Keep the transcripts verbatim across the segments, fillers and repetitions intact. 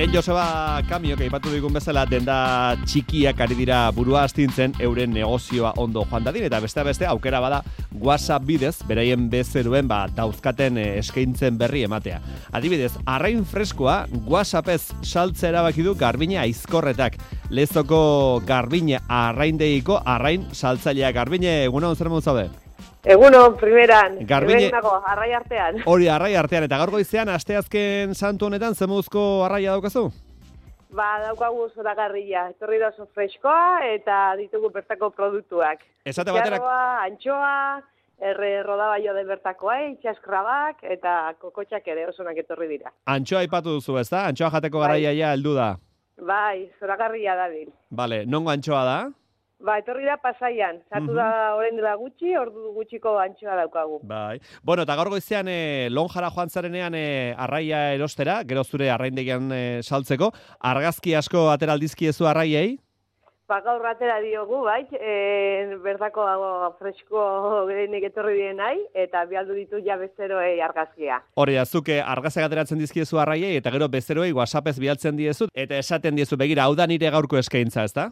Lehen Joseba Kamiok aipatu digun bezala denda txikiak ari dira burua astintzen euren negozioa ondo joan dadin, eta beste beste aukera bada WhatsApp bidez, beraien bezeruen ba, dauzkaten eskaintzen berri ematea. Adibidez, arrain freskoa WhatsAppez saltze erabaki du Garbine Aizkorretak. Lezoko Garbine arraindeiko arrain saltzailea. Garbine, egunon zer moduz zaude? Egunon, primeran, Garbine... nago, arrai artean. Hori, arrai artean, eta gaur goizean, asteazken santu honetan, zemuzko arraia daukazu? Ba, daukagu zoragarria, etorri da oso freskoa, eta ditugu bertako produktuak. Esate baterak... Itxarroa, antxoa, erre rodabaio de bertakoa, itxaskrabak, eta kokotxak ere osonak etorri dira. Antxoa aipatu duzu, ezta? Antxoa jateko garaia ja heldu da. Bai, zoragarria da bil. Vale, nongo antxoa da? Ba, etorri da Pasaian, sartu da orain dela gutxi, ordu gutxiko antxoa daukagu. Bai. Bueno, eta gaur goizean e, Lonjara joan zarenean e, arraia erostera, gero zure arraindegian e, saltzeko, argazki asko ateraldizkiezu arraiei? Ba, gaur atera diogu, bai, e, bertako fresko gerenik etorri dien nahi, eta bialdu ditu ja bezeroei argazkia. Hori da, zuke argazak ateratzen dizkiezu arraiei, eta gero bezeroei WhatsAppez bialtzen diezu, eta esaten diezu, begira, hau da nire gaurko eskaintza, ezta?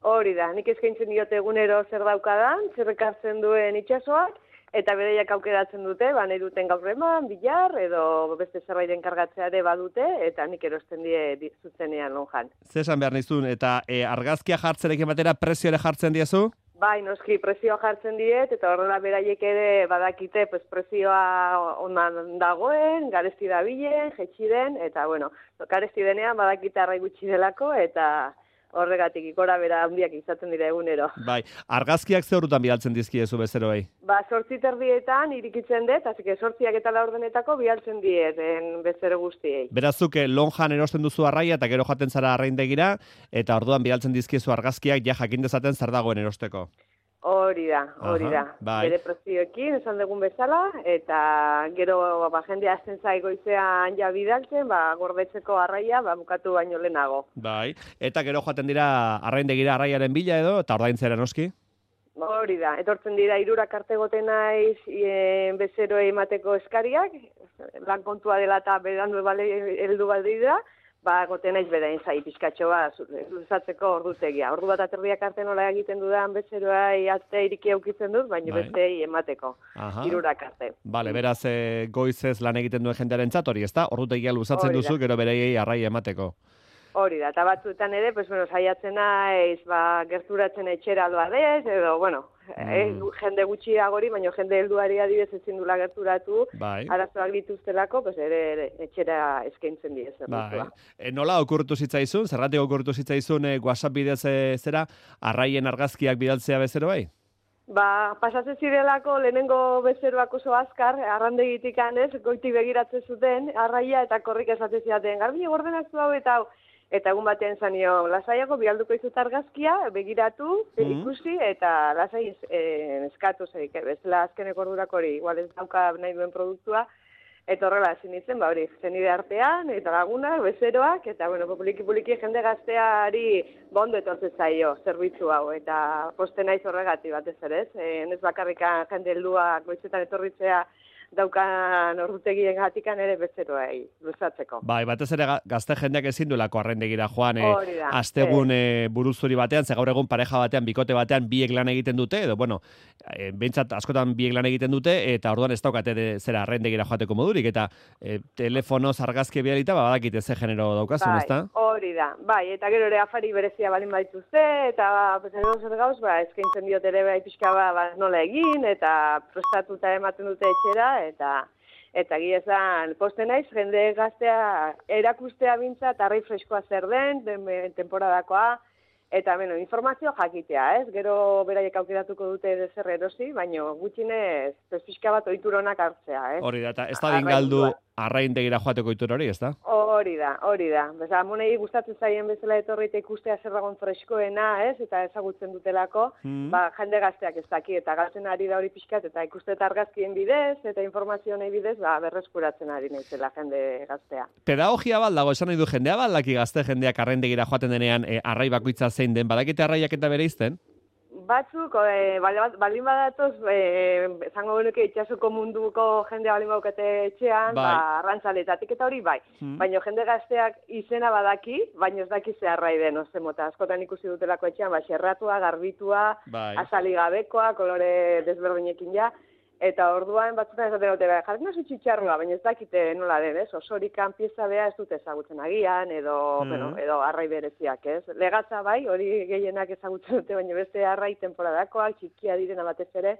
Hori da, nik eskaintzen diote egunero zer daukadan, zer ekartzen duen itsasoak, eta bereiak aukeratzen dute, ba, nahi duten gaur eman, bilar, edo beste zerbaiten kargatzea ere badute, eta nik erosten die zuzenean lonjan. Zesan behar nizun, eta e, argazkia jartzerekin batera prezio ere jartzen diezu? Bai, noski, prezioa jartzen diet, eta horrela beraiek ere badakite, pues, prezioa onan dagoen, garesti dabilen, jetxi den, eta, bueno, garesti denean badakite arrai gutxi delako, eta... horregatik ikora bera handiak izaten dira egunero. Bai, argazkiak ze horretan bialtzen dizkiezu bezeroei? Ba, sortzi terdietan irikitzen dut, hasi que sortziak eta laurdenetako bialtzen diet bezero guztiei. Berazuk, lonjan erosten duzu arraia eta gero jaten zara arraindegira, eta orduan bialtzen dizkiezu argazkiak ja jakin dezaten zer dagoen erosteko. Hori da, hori da. Bai. Bere prezioekin, esan dugun bezala, eta gero ba, jendea azten zai goizean ja bidaltzen, ba, gordetzeko arraia ba, bukatu baino lehenago. Bai, eta gero joaten dira arraindegira arraiaren bila edo, eta ordaintzera noski? Hori da, etortzen dira hirurak arte goten naiz e, bezeroei emateko eskariak, lan kontua dela eta berandu bale heldu baldi da, ba, goten naiz bedain zai pizkatxo bat luzatzeko ordutegia. Ordu bat aterdiak arte nola egiten dudan bezeroai ate iriki aukitzen dut, baina bai. Bestei emateko, hirurak arte. Bale, beraz e, goizez lan egiten duen jendearen hori, ezta? Ordutegia luzatzen duzu, gero bereiei arrai emateko. Hori da, eta batzuetan ere, pues, bueno, saiatzen naiz, ba, gerturatzen etxera doa dez, edo, bueno, mm. eh, jende gutxiagori, baina jende helduari adibidez ezin dula gerturatu, bai. Arazoak dituztelako, pues, ere, ere etxera eskaintzen diez. Bai. E, nola okurtu zitzaizun, zerratik okurtu zitzaizun e, WhatsApp bidez e, zera, arraien argazkiak bidaltzea bezero bai? Ba, pasatzen zirelako lehenengo bezeroak oso azkar, arrandegitik anez, goiti begiratzen zuten, arraia eta korrik esatzen zidaten, Garbine gordenak zu hau eta hau. Eta egun batean zanio, lasaiago bialduko izut argazkia, begiratu, mm. ikusi, eta lasai eh, eskatu zeik, bezala azkeneko ordurak hori, igual ez dauka nahi duen produktua, eta horrela ezin izen, ba hori, zenide artean, eta lagunak, bezeroak, eta bueno, poliki-poliki jende gazteari bondo etortzen zaio, zerbitzu hau, eta poste naiz horregati batez ere, ez? E, ez bakarrika jende heldua goitzetan etorritzea, daukan ordutegien gatikan ere bezeroei luzatzeko. Bai, batez ere gazte jendeak ezin duelako arraindegira joan, e, astegun e, buruzuri batean, ze gaur egun pareja batean, bikote batean biek lan egiten dute, edo, bueno, e, behintzat askotan biek lan egiten dute, eta orduan ez daukate de, zera arraindegira joateko modurik, eta e, telefonoz argazki bialita, ba, badakite ze genero daukazun, bai, ezta? Hori da, bai, eta gero ere afari berezia balin baituzte, eta pesan zer gauz, ba, eskaintzen diot ere bai pixka ba, ba, nola egin, eta prestatuta ematen dute etxera, eta eta gira esan posten naiz, jende gaztea erakustea bintza, arrai freskoa zer den, den temporadakoa, eta bueno, informazio jakitea, ez? Gero beraiek aukeratuko dute zer erosi, baino gutxinez pizka bat ohituronak hartzea, ez? Hori da, eta ez da dingaldu arraindegira joateko ohitura hori, ezta? Hori da, hori da. Beza, monei gustatzen zaien bezala etorri eta ikustea zer dagoen freskoena, ez? Eta ezagutzen dutelako, mm. ba, jende gazteak ez daki, eta galtzen ari da hori pixkat, eta ikuste eta argazkien bidez, eta informazio nahi bidez, ba, berreskuratzen ari naizela jende gaztea. Pedagogia bat dago, esan nahi du jendea bat, laki gazte jendeak arraindegira joaten denean, e, arrai bakoitza zein den, badakite arraiak eta bere izten? batzuk, e, baldin badatoz, e, zango genuke itxasuko munduko jendea baldin baukete etxean, bai. ba, arrantzaletatik eta hori bai. Hmm. Baina jende gazteak izena badaki, baina ez daki zeharrai den, oze mota, askotan ikusi dutelako etxean, ba, xerratua, garbitua, bai. Azali gabekoa, kolore desberdinekin ja, eta orduan batzutan esaten dute, jarri nazu txitxarroa, baina ez dakite nola den, ez? Osorikan pieza bea ez dute ezagutzen agian, edo, mm. bueno, edo arrai bereziak, ez? Legatza bai, hori gehienak ezagutzen dute, baina beste arrai temporadakoak, txikia direna batez ere,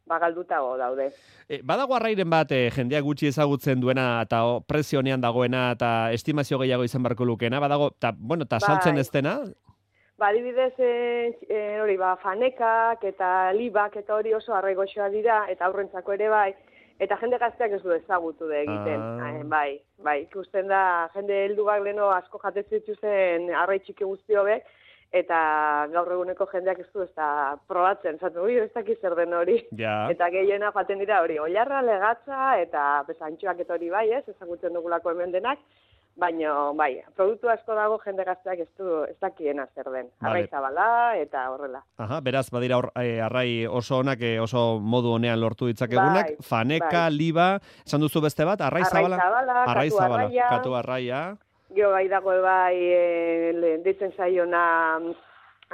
bagaldutago daude. E, badago arrairen bat, e, jendeak gutxi ezagutzen duena, eta o, prezio honean dagoena, eta estimazio gehiago izan barko lukena, badago, eta, bueno, eta saltzen ez dena? Ba, adibidez, e, e, hori, ba, fanekak eta libak eta hori oso arraigoxoa dira, eta aurrentzako ere bai, eta jende gazteak ez du ezagutu da egiten. Ah. E, bai, bai, ikusten da, jende helduak leno asko jatetzen dituzten arrai txiki guzti hobek, eta gaur eguneko jendeak ez du ez da probatzen, zaten, ui, ez dakiz zer den hori. Ja. Eta gehiena jaten dira hori, oilarra, legatza, eta pesantxoak eta hori bai, ez, ezagutzen dugulako hemen denak, baina, bai, produktu asko dago jende gazteak ez du, ez dakiena zer den. Arrai zabala eta horrela. Aha, beraz, badira or, e, arrai oso onak, e, oso modu honean lortu ditzakegunak. Bai, faneka, bai. Liba, esan duzu beste bat, arrai zabala? Arrai zabala, arrai katu zabala, arraia. Katu arraia. Gio bai dago bai, e, ditzen zaiona,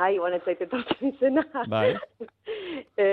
ai, bonetzait etortzen izena. Bai. e,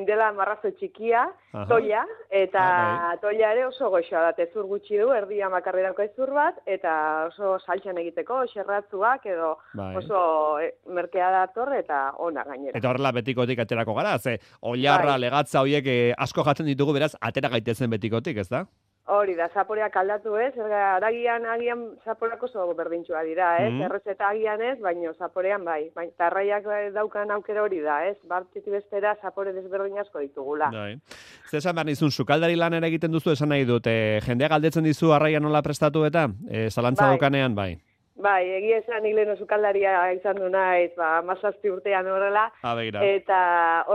dela marrazo txikia, aha. Toia, eta ah, bai. Toia ere oso goxoa da, ezur gutxi du, erdia makarrerako ezur bat, eta oso saltxan egiteko, xerratzuak, edo bai. Oso e, merkea dator, eta ona gainera. Eta horrela betikotik aterako gara, ze, oilarra, bai. Legatza horiek eh, asko jatzen ditugu, beraz, atera gaitezen betikotik, ez da? Hori da, zaporeak aldatu ez, aragian agian zaporeak oso berdintxua dira, ez, mm-hmm. Errezeta agian ez, baino zaporean bai, baina tarraiak daukan aukera hori da, ez, bartiti bestera zapore desberdin asko ditugula. Bai. Zesan behar nizun, sukaldari lan ere egiten duzu, esan nahi dut, e, jendea galdetzen dizu arraia nola prestatu eta, e, zalantza bai. Dukanean, bai. Bai, egia esan nik leheno sukaldaria izan du naiz, ba, mazazpi urtean horrela, eta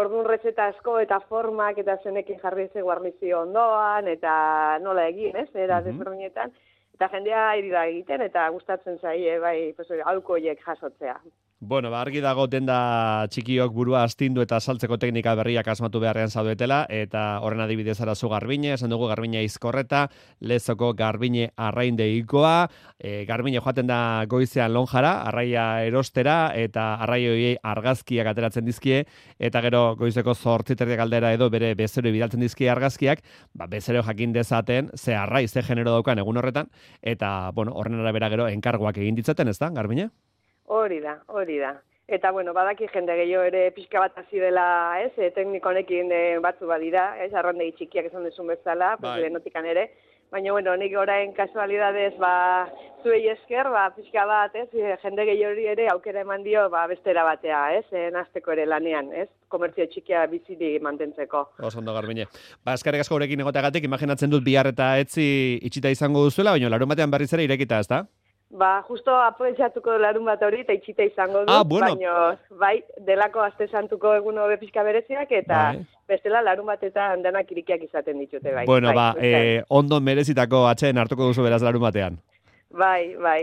orduan rezeta asko eta formak eta zenekin jarri ze guarnizio ondoan, eta nola egin, ez, era mm-hmm. desberdinetan, eta jendea irida egiten, eta gustatzen zaie, bai, pues, alkoiek jasotzea. Bueno, ba, argi dago denda txikiok burua astindu eta saltzeko teknika berriak asmatu beharrean zaudetela, eta horren adibidez arazu Garbine, esan dugu Garbine Izkorreta, Lezoko Garbine arraindeikoa, e, Garbine joaten da goizean lonjara, arraia erostera, eta arrai horiei argazkiak ateratzen dizkie, eta gero goizeko zortziterriak aldera edo bere bezero bidaltzen dizkie argazkiak, ba, bezero jakin dezaten, ze arrai, ze genero daukan egun horretan, eta, bueno, horren arabera gero enkarguak egin ditzaten, ez da, Garbine? Hori da, hori da. Eta, bueno, badaki jende gehiago ere pixka bat hasi dela, ez, e, tekniko honekin e, batzu badira, ez, arrandegi txikiak esan duzun bezala, pues, lehenotikan ere. Baina, bueno, nik orain kasualidadez, ba, zuei esker, ba, pixka bat, ez, jende gehiago ere aukera eman dio, ba, bestera batea, ez, e, nazteko ere lanean, ez, komertzio txikia biziri mantentzeko. Oso ondo, Garbine. Ba, eskarrik asko gurekin egoteagatik, imaginatzen dut bihar eta etzi itxita izango duzuela, baina larun batean berriz ere irekita, ez da? Ba, justo aprobetxatuko larun bat hori eta itxita izango dut, ah, bueno. Baina, bai, delako aste santuko egun hobe pixka bereziak, eta bai. Bestela larun batetan denak irikiak izaten ditute, bai. Bueno, bai, ba, e, ondo merezitako atxeen hartuko duzu beraz larun batean. Bai, bai.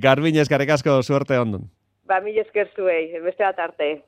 Garbine, eskarrik asko, suerte ondon. Ba, mil esker zuei, beste bat arte.